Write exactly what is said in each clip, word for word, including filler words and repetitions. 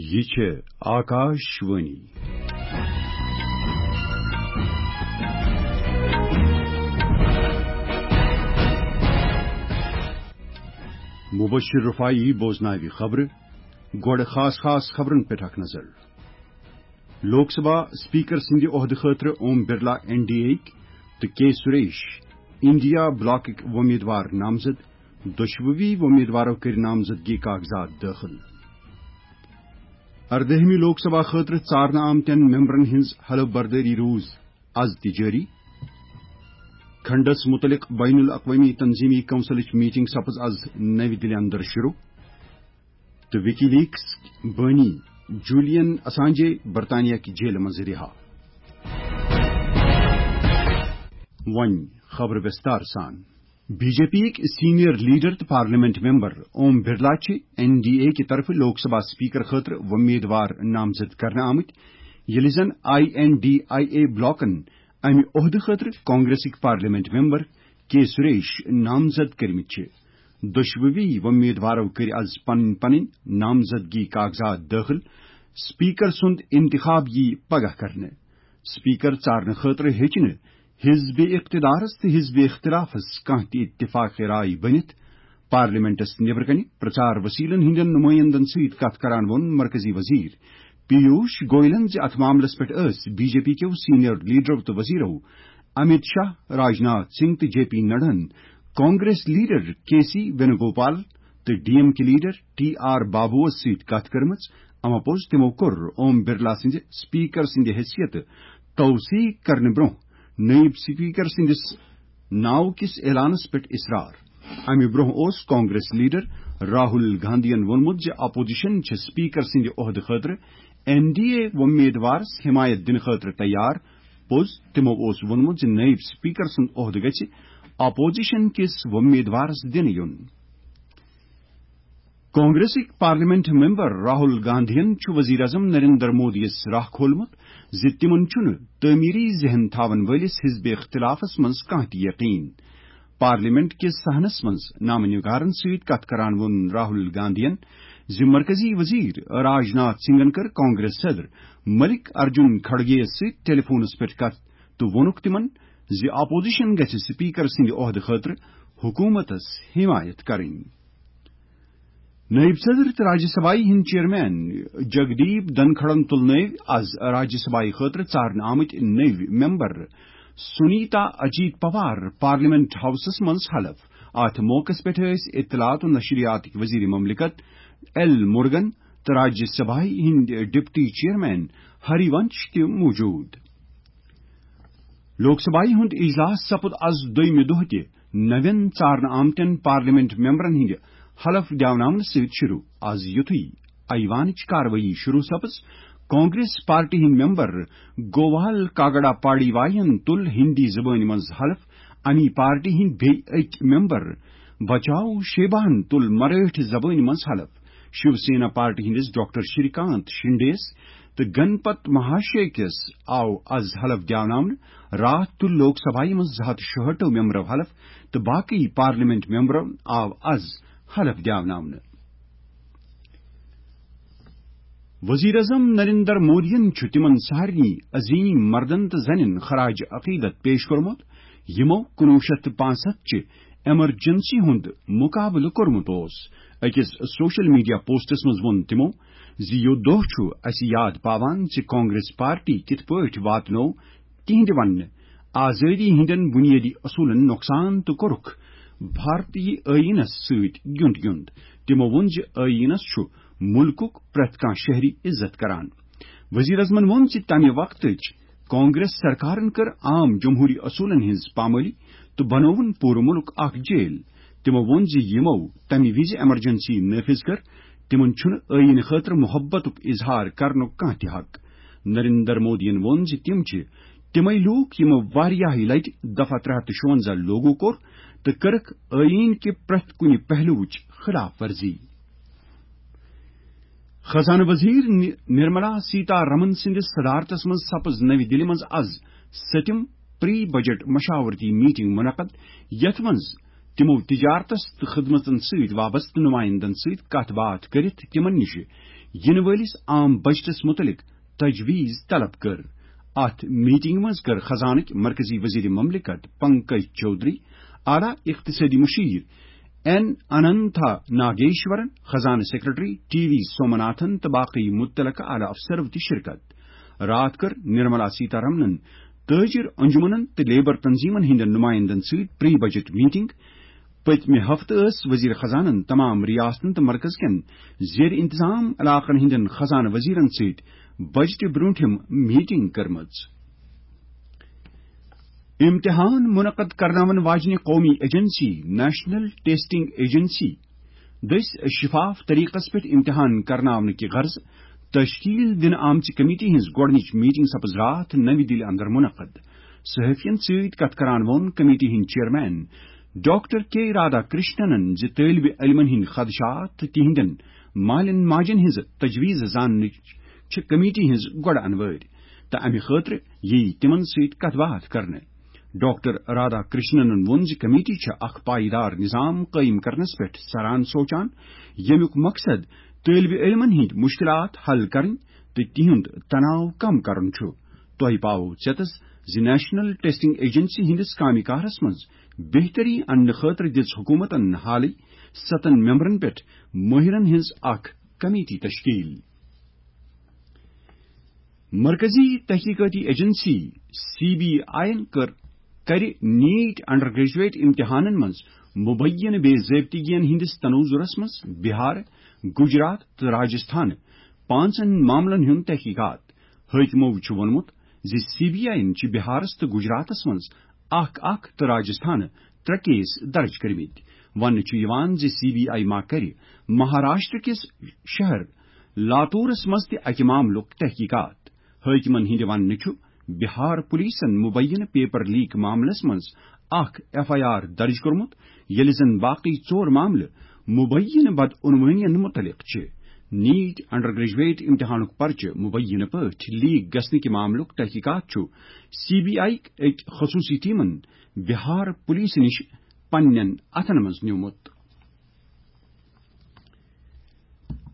یہِ چھِ آکاش وانی۔ مبشر رفاعی بوزناوِ خبرٕ۔ گۄڈٕ خاص خاص خبرن پٮ۪ٹھ اکھ نظر۔ لوک سبھا اسپیکر سٕنٛدِ عہدٕ خٲطرٕ Om Birla N D A یِکۍ تہٕ کے سریش انڈیا بلاکٕکۍ وۄمیدوار نامزد۔ دۄشوٕے وۄمیدوارو کٔرۍ نامزدگی کاغذات دٲخل۔ اردٲہمہِ لوک سبھا خٲطرٕ ژارنہٕ آمتٮ۪ن ممبرن ہٕنٛز حلف بردٲری روٗز از تہِ جٲری۔ کھنڈس متعلق بین الاقوامی تنظیمی کونسلٕچ میٹنگ سپٕز از نوِ دِلہِ اندر شروع۔ تہٕ وِکی لیکس بٲنی جولین اسانجے برطانیہ کہِ جیلہِ منٛز رِہا۔ وۄنۍ خبرٕ وِستار سان۔ بی جے پی یِکۍ سینئر لیڈر تہٕ پارلیمنٹ ممبر اوم برلا چھِ این ڈی اے کہِ طرفہٕ لوک سبھا اسپیکر خٲطرٕ وۄمیدوار نامزد کرنہٕ آمٕتۍ، ییٚلہِ زن I N D I A بلاکن امہِ عہدٕ خٲطرٕ کانگریسٕکۍ پارلیمنٹ ممبر کے سریش نامزد کٔرمٕتۍ چھِ۔ دۄشوٕے وۄمیدوارو کٔرۍ از پنٕنۍ پنٕنۍ نامزدگی کاغذات دٲخل۔ اسپیکر سُنٛد انتخاب یِیہِ پگاہ کرنہٕ۔ اسپیکر ژارنہٕ خٲطرٕ ہیٚکہِ نہٕ حزب اقتدارس تہٕ حزب اختلافس کانٛہہ تہِ اتفاق رائے بٔنِتھ۔ پارلیمنٹس نیبرٕ کنہِ پرچار وسیلن ہٕنٛدٮ۪ن نمٲیندن سۭتۍ کتھ کران ووٚن مرکزی وزیر پیوش گوئلن زِ اتھ معاملس پٮ۪ٹھ ٲسۍ بی جے پی کیو سینئر لیڈرو تہٕ وزیرو امیت شاہ، راجناتھ سنگھ تہٕ جے پی نڈاہن کانگریس لیڈر کے سی وینوگوپال تہٕ ڈی ایم کے لیڈر ٹی آر بابوس سۭتۍ کتھ کٔرمٕژ۔ اما پوٚز تِمو کوٚر اوم برلا سٕنٛزِ اسپیکر سٕنٛدِ حیثیت توثیق کرنہٕ برٛونٛہہ نٲیِب اسپیکر سٕنٛدِس ناو کِس اعلانس پٮ۪ٹھ اصرار۔ امہِ برٛونٛہہ اوس کانگریس لیڈر راہل گاندھین ووٚنمُت زِ اپوزیشن چھِ اسپیکر سٕنٛدِ عہدٕ خٲطرٕ این ڈی اے وۄمیدوارس حمایت دِنہٕ خٲطرٕ تیار۔ پوٚز، تِمو اوس ووٚنمُت زِ نٲیِب اسپیکر سُنٛد عہدٕ گژھِ اپوزیشن کِس وۄمیدوارس دِنہٕ یُن۔ کانگریسٕکۍ پارلیمنٹ ممبر راہل گاندھین چھُ وزیر اعظم نریندر مودیَس راہ کھولمُت زِ تِمن چھُنہٕ تعمیری ذہن تھاون وٲلِس حزب اختلافس منٛز کانٛہہ تہِ یقین۔ پارلیمنٹ کِس صحنس منٛز نامہ نگارن سۭتۍ کتھ کران ووٚن راہل گاندھین زِ مرکزی وزیر راجناتھ سنگھن کٔر کانگریس صدر ملک ارجن کھڑگے یَس سۭتۍ ٹیلی فونس پٮ۪ٹھ کتھ تہٕ ووٚنُکھ تِمن زِ اپوزیشن گژھِ اسپیکر سٕنٛدِ عہدٕ خٲطرٕ حکومتس حمایت کرٕنۍ۔ نٲیِب صدر تہٕ راجیہ سبھایہ ہٕنٛدۍ چیئرمین جگدیپ دھنکھڑن تُلنٲوۍ از راجیہ سبھایہ خٲطرٕ ژارنہٕ آمٕتۍ نٔوۍ member Sunita Ajit Pawar parliament houses منٛز حلف۔ اتھ موقعس پٮ۪ٹھ ٲسۍ اطلاعات و نشریاتٕکۍ وزیر مملکت ایل مرگن تہٕ راجیہ سبھایہ ہٕنٛدۍ ڈپٹی چیئرمین ہری ونش تہِ موجود۔ لوک سبھایہ ہُنٛد اجلاس سپُد از دوٚیمہِ دۄہ تہِ نوٮ۪ن ژارنہٕ آمتٮ۪ن پارلیمنٹ ممبرن ہٕنٛدِ حلف دیاوناونہٕ سۭتۍ شروع۔ از یُتھُے ایوانٕچ کاروٲیی شروع سپٕز، کانگریس پارٹی ہٕنٛدۍ ممبر گووال کاگڑا پاڑی واین تُل ہندی زبٲنۍ منٛز حلف۔ امی پارٹی ہٕنٛدۍ بیٚیہِ أکۍ ممبر بچاو شیباہن تُل مرٲٹھۍ زبٲنۍ منٛز حلف۔ شیو سینا پارٹی ہٕنٛدِس ڈاکٹر شری کانت شنڈے یَس تہٕ گنپت مہاشے کِس آو از حلف دیاوناونہٕ۔ راتھ تُل لوک سبھایہ منٛز زٕ ہتھ شُہٲٹھ ممبرو حلف تہٕ باقٕے پارلیمنٹ ممبرو آو از حلف دیاوناونہٕ۔ وزیر اعظم نریندر مودیَن چھُ تِمن سارنٕے عظیم مردن تہٕ زنٮ۪ن خراج عقیدت پیش کوٚرمُت، یِمو کُنوُہ شیٚتھ تہٕ پانٛژھ ہَتھ چہِ ایمرجنسی ہُنٛد مقابلہٕ کوٚرمُت اوس۔ أکِس سوشل میڈیا پوسٹس منٛز ووٚن تِمو زِ یہِ دۄہ چھُ اسہِ یاد پاوان زِ کانگریس پارٹی کِتھ پٲٹھۍ واتنوو تِہنٛدِ وننہٕ آزٲدی ہٕنٛدٮ۪ن بُنیٲدی اصوٗلن نۄقصان تہٕ کوٚرُکھ بھارتی ٲییٖنس سۭتۍ گیُنٛد گیُنٛد۔ تِمو ووٚن زِ ٲییٖنس چھُ مُلکُک پرٛٮ۪تھ کانٛہہ شہری عزت کران۔ وزیر اعظمن ووٚن زِ تمہِ وقتٕچ کانگریس سرکارن کٔر عام جمہوری اصوٗلن ہٕنٛز پامٲلی تہٕ بنووُن پوٗرٕ مُلک اکھ جیل۔ تِمو ووٚن زِ یِمو تمہِ وِزِ ایمرجنسی نافذ کٔر، تِمن چھُنہٕ ٲییٖن خٲطرٕ محبتُک اظہار کرنُک کانٛہہ تہِ حق۔ نریندر مودیَن ووٚن زِ تِم چھِ تِمے لوٗکھ یِمو واریاہہِ لٹہِ دفعہ ترٛےٚ ہتھ تہٕ شُونٛزاہ لاگو کوٚر تہٕ کٔرٕکھ ٲییٖن کہِ پرٛٮ۪تھ کُنہِ پہلوٕچ خلاف ورزی۔ خزانہٕ وزیر نِ-، نرملا سیتا رمن سٕنٛدِس صدارتس منٛز سپٕز نَوِ دِلہِ منٛز از سٔتِم پری بجٹ مشاورتی میٹنگ منعقد، یتھ منٛز تِمو تجارتس تہٕ خدمتن سۭتۍ وابستہٕ نمائندن سۭتۍ کتھ باتھ کٔرِتھ تِمن نِش یِنہٕ وٲلِس عام بجٹس مُتعلِق تجویز طلب کٔر۔ اتھ میٹنگ منٛز کٔر خزانٕکۍ مرکزی وزیر مملکت پنکج چودھری، اعلیٰ اقتصٲدی مشیر این اننتھا ناگیشورن، خزانہٕ سیکرٹری ٹی وی سومناتھن تہٕ باقٕے متعلقہٕ اعلیٰ افسرو تہِ شرکت۔ راتھ کٔر نرملا سیتارمنن تاجر انجمنن تہٕ لیبر تنظیمن ہٕنٛدٮ۪ن نمائندن سۭتۍ پری بجٹ میٹنگ۔ پٔتمہِ ہفتہٕ ٲس وزیر خزانن تمام ریاستن تہٕ مرکز کٮ۪ن زیر انتظام علاقن ہٕنٛدٮ۪ن خزانہٕ وزیرن سۭتۍ بجٹہِ برونٛٹھِم میٹنگ کٔرمٕژ۔ امتحان منعقد کرناون واجنہِ قومی ایجنسی نیشنل ٹیسٹنگ ایجنسی دٔسۍ شفاف طریقس پٮ۪ٹھ امتحان کرناونہٕ کہِ غرضہٕ تشکیل دِنہٕ آمژِ کمیٹی ہٕنٛز گۄڈٕنِچ میٹنگ سپٕز راتھ نَوِ دِلہِ اندر منعقد۔ صحافین سۭتۍ کتھ کران ووٚن کمیٹی ہٕنٛدۍ چیئرمین ڈاکٹر کے رادا کرشننن زِ طٲلبِ علمن ہٕنٛدۍ خدشات تہٕ تِہنٛدٮ۪ن مالٮ۪ن ماجن ہٕنٛز تجویز زاننٕچ چھِ کمیٹی ہٕنٛز گۄڈٕ انوٲرۍ تہٕ امہِ خٲطرٕ ییہِ تِمن سۭتۍ کتھ باتھ کرنہٕ۔ ڈاکٹر رادا کرشننن ووٚن زِ کمیٹی چھےٚ اکھ پائیدار نظام قٲیِم کرنس پٮ۪ٹھ سران سونچان، ییٚمیُک مقصد طٲلبِ علمن ہٕنٛدۍ مشکلات حل کرٕنۍ تہٕ تِہُنٛد تناو کم کرُن چھُ۔ تۄہہِ پاوو ژیتس زِ نیشنل ٹیسٹنگ ایجنسی ہٕنٛدِس کامہِ کارس منٛز بہتری اننہٕ خٲطرٕ دِژ حکوٗمتن حالٕے ستن ممبرن پٮ۪ٹھ مٲہرن ہٕنٛز اکھ کمیٹی تشکیل۔ مرکزی تحقیقاتی ایجنسی سی بی آئی یَن کٔر، کَرِ نیٹ انڈر گریجویٹ امتحانن منٛز مبینہ بے ضٲبطگین ہٕنٛدِس تناظرس منٛز بہار، گجرات تہٕ راجستھان پانٛژن معاملن ہُنٛد تحقیقات۔ حٲکمو چھُ ووٚنمُت زِ سی بی آئی یَن چھِ بہارس تہٕ گجراتس منٛز اکھ اکھ تہٕ راجستھان ترٛےٚ کیس درج کٔرمٕتۍ۔ وننہٕ چھُ یِوان زِ سی بی آئی ما کَرِ مہاراشٹر کِس شہر لاتورس منٛز تہِ اکہِ معاملُک تحقیقات۔ حٲکمن ہٕنٛدِ وننہٕ چھُ بہار پولیسن مبینہ پیپر لیک معاملس منٛز اکھ ایف آئی آر درج کوٚرمُت، ییٚلہِ زن باقٕے ژور معاملہٕ مبینہ بدعنوٲنین متعلق چھِ۔ نیٹ انڈر گریجویٹ امتحانُک پرچہٕ مبینہ پٲٹھۍ لیک گژھنہٕ کہِ معاملُک تحقیقات چھُ سی بی آئی أکۍ خصوٗصی ٹیمن بہار پولیس نِش پننٮ۪ن اتھن منٛز نیومُت۔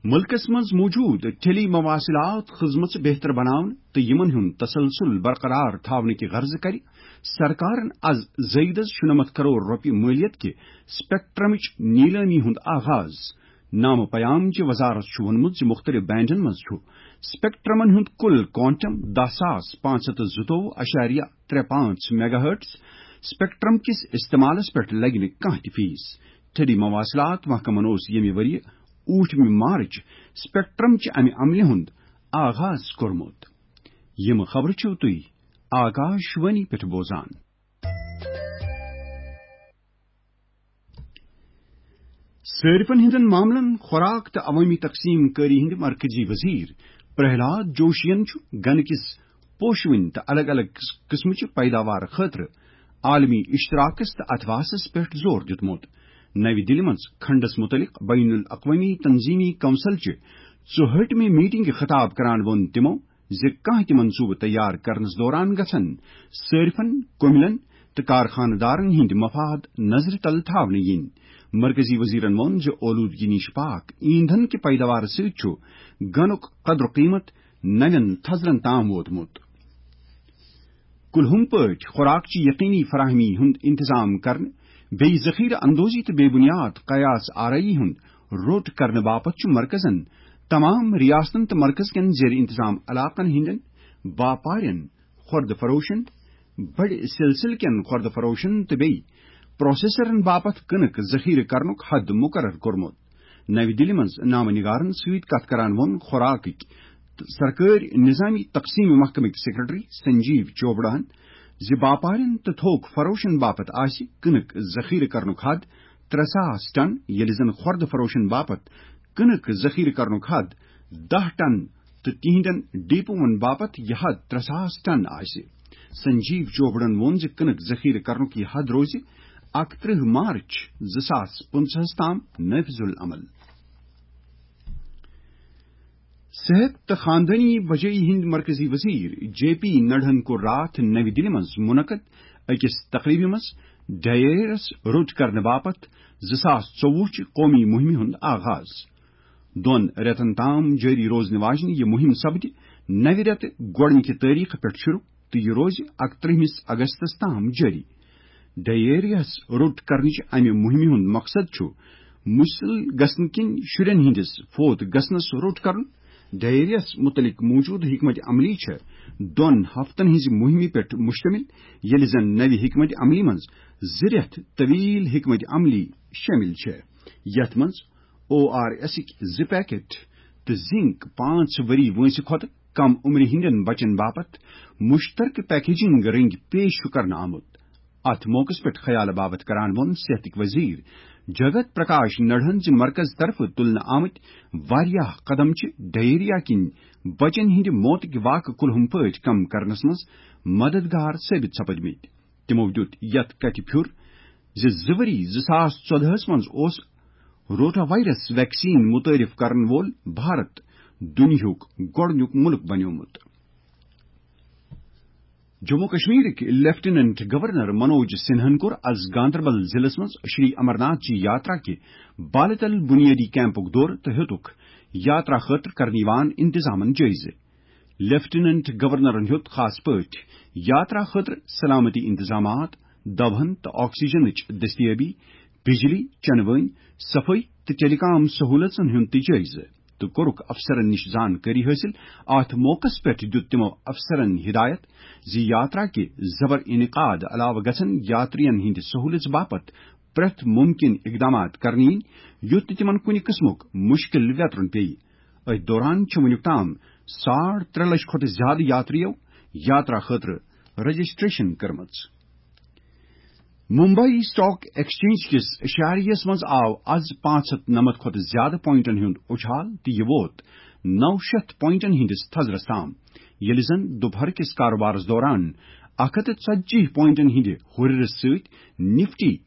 ملکس منٛز موجود ٹیلی مواصلات خدمژٕ بہتر بناونہٕ تہٕ یِمن ہُنٛد تسلسل برقرار تھاونہٕ کہِ غرضہٕ کرِ سرکارن از زٲیدس شُنمتھ کرور رۄپیہِ مٲلیت کہِ سپیکٹرمٕچ نیلٲمی ہُنٛد آغاز۔ نامہ پیام چہِ وزارت چھُ ووٚنمُت زِ مُختٔلِف بینڈن منٛز چھُ سپیکٹرمن ہُنٛد کُل کوانٹم دَہ ساس پانٛژھ ہَتھ تہٕ زٕتووُہ اَشاریہ ترٛےٚ پانٛژھ میگا ہرٹز۔ سپیکٹرم کِس استعمالس پٮ۪ٹھ لگہِ نہٕ کانٛہہ تہِ فیس۔ ٹیلی مواصلات محکمن اوس ییٚمہِ ؤرۍ یہِ ٲٹھمہِ مارچ سپیکٹرم چہِ امہِ عملہِ ہُنٛد آغاز کوٚرمُت۔ یِم خبرٕ چھِو تُہۍ آکاش وانی پٮ۪ٹھ بوزان۔ صٲرفن ہٕنٛدٮ۪ن معاملن، خوراک تہٕ عوٲمی تقسیٖم کٲری ہٕنٛدِ مرکزی وزیر پرہلاد جوشین چھُ گنہٕ کِس پوشوٕنۍ تہٕ الگ الگ قٕس-، قٕسمٕچہِ پیداوار خٲطرٕ عالمی اشتراکس تہٕ اتھواسس پٮ۪ٹھ زور دیُتمُت۔ نَوِ دِلہِ منٛز کھنڈس مُتعلق بین الاقوٲمی تنظیمی کونسل چہِ ژُہٲٹھمہِ میٹنگہِ خطاب کران ووٚن تِمو زِ کانٛہہ تہِ منصوٗبہٕ تیار کرنس دوران گژھن صٲرفن، کٔمِلن تہٕ کارخانہٕ دارن ہٕنٛدۍ مفاد نظرِ تل تھاونہٕ یِنۍ۔ مرکزی وزیرن ووٚن زِ اولوٗدگی نِش پاک ایندھن کہِ پیداوار سۭتۍ چھُ گنُک قدر قیمت نوٮ۪ن تھزرن تام ووتمُت۔ کُلہُم پٲٹھۍ خوراکچہِ یقینی فراہمی ہُنٛد انتظام کرنہٕ، بیٚیہِ ذخیرٕ اندوزی تہٕ بے بنیاد قیاس آرٲیی ہُنٛد روٚٹ کرنہٕ باپتھ چھُ مرکزن تمام ریاستن تہٕ مرکز کٮ۪ن زیر انتظام علاقن ہٕنٛدٮ۪ن باپارٮ۪ن، خوردٕ فروشن، بڑِ سلسلہٕ کٮ۪ن خوردٕ فروشن تہٕ بیٚیہِ پروسیسرن باپتھ کٕنٕک ذخیرٕ کرنُک حد مقرر کوٚرمُت۔ نَوِ دِلہِ منٛز نامہ نگارن سۭتۍ کتھ کران ووٚن خوراکٕکۍ تہٕ سرکٲرۍ نظامی تقسیم محکمٕکۍ سیکرٹری سنجیو چوپڑاہن زِ باپارٮ۪ن تہٕ تھوک فروشن باپتھ آسہِ کٕنٕک ذخیرٕ کرنُک حد ترٛےٚ ساس ٹن، ییٚلہِ زن خوردٕ فروشن باپتھ کٕنٕک ذخیرٕ کرنُک حد دَہ ٹن تہٕ تِہنٛدٮ۪ن ڈیپوون باپتھ یہِ حد ترٛےٚ ساس ٹن آسہِ۔ سنجیو چوپڑن ووٚن زِ کٕنٕک ذخیرٕ کرنُک یہِ حد روزِ اَکترٕہ مارچ زٕ ساس پٕنٛژٕہَس تام نافذ العمل۔ صحت تہٕ خاندٲنی بجٲیی ہٕنٛدۍ مرکزی وزیر جے پی نڈہن کوٚر راتھ نَوِ دِلہِ منٛز منعقد أکِس تقریبہِ منٛز ڈائرس روٚٹ کرنہٕ باپتھ زٕ ساس ژوٚوُہ چہِ قومی مُہِمہِ ہُنٛد آغاز۔ دۄن رٮ۪تن تام جٲری روزنہٕ واجنہِ یہِ مُہِم سپدِ نَوِ رٮ۪تہٕ گۄڈٕنِکہِ تٲریخہٕ پٮ۪ٹھ شروع تہٕ یہِ روزِ اَکترٛہمِس اگستس تام جٲری۔ ڈائیریاہس روٚٹ کرنٕچ امہِ مُہِمہِ ہُنٛد مقصد چھُ مُسِل گژھنہٕ کِنۍ شُرٮ۪ن ہٕنٛدِس فوت گژھنس روٚٹ کرُن۔ ڈائیریاہس مُتعلق موجودٕ حکمت عملی چھےٚ دۄن ہفتن ہٕنٛزِ مُہِمہِ پٮ۪ٹھ مشتمل، ییٚلہِ زن نوِ حکمت عملی منٛز زٕ رٮ۪تھ طویل حکمت عملی شٲمِل چھےٚ، یتھ منٛز او آر ایسٕکۍ زٕ پیکٹ تہٕ زنک پانٛژھ ؤری وٲنٛسہِ کھۄتہٕ کم عمرِ ہٕنٛدٮ۪ن بچن باپتھ مشترکہٕ پیکیجنگ رٔنگۍ پیش چھُ کرنہٕ آمُت۔ اتھ موقعس پٮ۪ٹھ خیال باپتھ کران ووٚن صحتٕکۍ وزیر جگت پرکاش نڈہن زِ مرکز طرفہٕ تُلنہٕ آمٕتۍ واریاہ قدم چھِ ڈائیریا کِنۍ بچن ہٕنٛدِ موتٕکۍ واقعہٕ کُلہُم پٲٹھۍ کم کرنس منٛز مددگار ثٲبت سپدمٕتۍ۔ تِمو دیُت یتھ کتھِ پھیُر زِ زٕ ؤری زٕ ساس ژۄدہس منٛز اوس روٹا وائرس ویکسین متعارف کرن وول بھارت دُنیاہُک گۄڈٕنیُک مُلک بنیومُت۔ جموں کشمیرٕکۍ لیفٹیننٹ گورنر منوج سنہن کوٚر از گاندربل ضلعس منٛز شری امرناتھ جی یاترا کہِ بالتل بنیادی کیمپُک دورٕ تہٕ ہیوٚتُکھ یاترا خٲطرٕ کرنہٕ یِوان انتظامن جٲیزٕ۔ لیفٹیننٹ گورنرن ہیوٚت خاص پٲٹھۍ یاترا خٲطرٕ سلامتی انتظامات، دوہن تہٕ آکسیجنٕچ دستیابی، بجلی، چنہٕ وٲنۍ، صفٲیی تہٕ ٹیلی کام سہولژن ہُنٛد تہِ جٲیزٕ تہٕ کوٚرُکھ افسرن نِش زانکٲری حٲصِل۔ اتھ موقعس پٮ۪ٹھ دیُت تِمو افسرن ہدایت زِ یاترا کہِ زبر انعقاد علاوٕ گژھن یاترین ہٕنٛدِ سہولژ باپتھ پرٛٮ۪تھ ممکن اقدامات کرنہٕ یِنۍ، یُتھ نہٕ تِمن کُنہِ قٕسمُک مُشکِل ویترُن پیٚیہِ۔ أتھۍ دوران چھِ وُنیُک تام ساڑ ترٛےٚ لچھ کھۄتہٕ زیادٕ یاترِیو یاترا خٲطرٕ رجسٹریشن کٔرمٕژ۔ ممبئی سٹاک ایکسچینج کِس شاریس منٛز آو از پانٛژھ ہتھ نَمَتھ کھۄتہٕ زیادٕ پوائنٹن ہُنٛد اُچھال تہٕ یہِ ووت نَو شیٚتھ پوائنٹن ہٕنٛدِس تھزرس تام، ییٚلہِ زن دُپہر کِس کاروبارس دوران اکھ ہتھ تہٕ ژتجی پوائنٹن ہٕنٛدِ ہُرِرٕ سۭتۍ نفٹی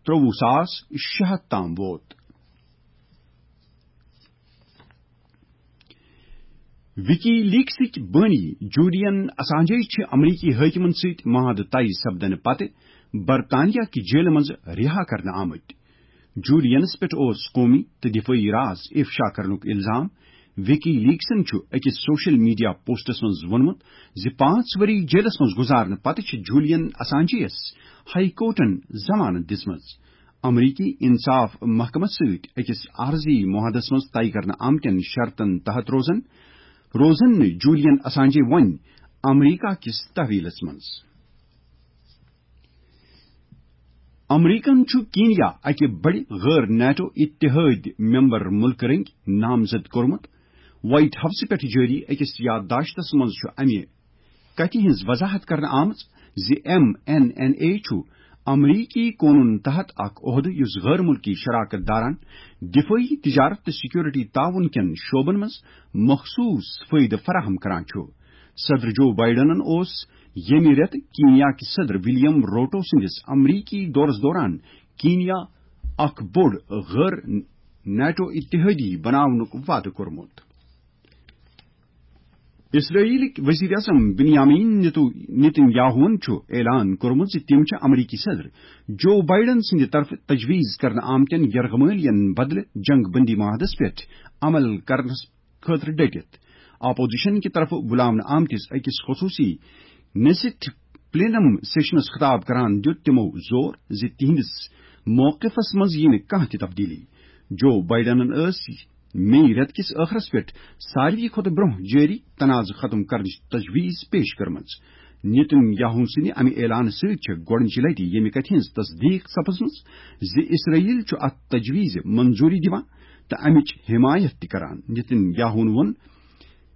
ترٛوٚوُہ ساس شےٚ ہتھ تام ووت۔ وِکی لیکسٕکۍ بٲنی جولیَن اسانجے چھِ امریکی حٲکمَن سۭتۍ معاہدٕ طے سپدنہٕ پتہٕ برطانیہ کہِ جیلہٕ منٛز رِہا کرنہٕ آمٕتۍ۔ جولیَنَس پٮ۪ٹھ اوس قومی تہٕ دفٲعی راز افشا کرنُک الزام۔ وِکی لیکسَن چھُ أکِس سوشل میڈیا پوسٹَس منٛز ووٚنمُت زِ پانٛژھ ؤری جیلَس منٛز گُزارنہٕ پتہٕ چھِ جولیَن اسانجیَس ہائی کورٹَن ضمانت دِژمٕژ۔ امریکی انصاف محکمس سۭتۍ أکِس عارضی معاہدس منٛز طے کرنہٕ آمتٮ۪ن شرطن تحت روزن، روزن نہٕ جولیَن اسانجے وۄنۍ امریکہ کِس تحویلس منٛز۔ امریکن چھُ کینیا اکہِ بڑِ غٲر نیٹو اتحادی ممبر مُلکہٕ رٔنگۍ نامزد کوٚرمُت۔ وائٹ ہاؤسہٕ پٮ۪ٹھ جٲری أکِس یادداشتس منٛز چھُ امہِ کتھِ ہٕنٛز وضاحت کرنہٕ آمٕژ زِ ایم این این اے چھُ امریکی قونوٗن تحت اکھ عہدٕ یُس غٲر مُلکی شراکت دارن، دفٲعی، تجارت تہٕ سیکورٹی تعاون کٮ۪ن شعبن منٛز مخصوص فٲیدٕ فراہم کران چھُ۔ صدر جو بائیڈنن اوس ییٚمہِ رٮ۪تہٕ کینیا کہِ صدر ولیم روٹو سٕنٛدِس امریکی دورس دوران کینیا اکھ بوٚڑ غٲر نیٹو اتحادی بناونُک وعدٕ کوٚرمُت۔ اسرائیلٕکۍ وزیر اعظم بنیامین نیتو-، نیتن یاہوٗہن چھُ اعلان کوٚرمُت زِ تِم چھِ امریکی صدر جو بائیڈن سٕنٛدِ طرفہٕ تجویز کرنہٕ آمتٮ۪ن یرغمٲلین بدلہٕ جنگ بندی معاہدس پٮ۪ٹھ عمل کرنس خٲطرٕ ڈٔٹِتھ۔ اپوزیشن کہِ طرفہٕ بُلاونہٕ آمتِس أکِس خصوٗصی نیسٹ پلینم سیشنس خطاب کران دیُت تِمو زور زِ تِہنٛدِس موقفس منٛز یِیہِ نہٕ کانٛہہ تہِ تبدیلی۔ جو بائیڈنن ٲس مئی رٮ۪تہٕ کِس ٲخرس پٮ۪ٹھ ساروی کھۄتہٕ برٛونٛہہ جٲری تنازٕ ختم کرنٕچ تجویز پیش کٔرمٕژ۔ نیتن یاہو سٕنٛدِ امہِ اعلانہٕ سۭتۍ چھےٚ گۄڈٕنچہِ لٹہِ ییٚمہِ کتھِ ہٕنٛز تصدیق سپٕزمٕژ زِ اسرائیل چھُ اتھ تجویزِ منظوری دِوان تہٕ امِچ حمایت تہِ کران۔ نیتن یاہون ووٚن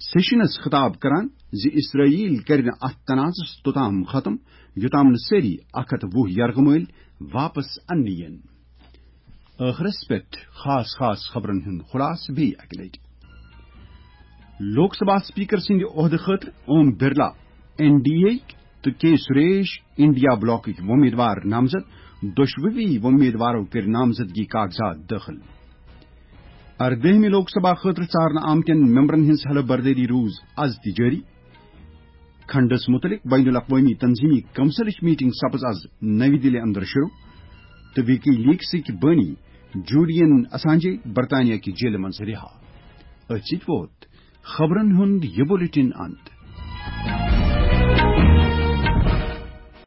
سیشنس خطاب کران زِ اسرائیل کرِ نہٕ اتھ تنازس توٚتام ختم، یوٚتام نہٕ سٲری اکھ ہتھ وُہ یرغمٲلۍ واپس اننہٕ یِن۔ ٲخرس پٮ۪ٹھ خاص خاص خبرن ہُنٛد خلاصہٕ بیٚیہِ اکہِ لٹہِ۔ لوک سبھا اسپیکر سٕنٛدِ عہدٕ خٲطرٕ Om Birla, N D A, تہٕ کے سریش، انڈیا بلاکٕکۍ وۄمیدوار نامزد، دۄشوٕے وۄمیدوارو کٔرۍ نامزدگی کاغذات دٲخل۔ اردٲہمہِ لوک سبھا خٲطرٕ ژارنہٕ آمتٮ۪ن ممبرن ہٕنٛز حلف بردٲری روٗز از تہِ جٲری۔ کھنڈس مُتعلق بین الاقوٲمی تنظیمی کونسلٕچ میٹنگ سپٕز از نَوِ دِلہِ اندر شروع تہٕ وِکی لیکسٕکۍ بٲنی جولیَن اسانجے برطانیہ کہِ جیلہِ منٛز رِہا۔ أتھۍ سۭتۍ ووت خبرن ہُنٛد یہِ بُلٹن انت۔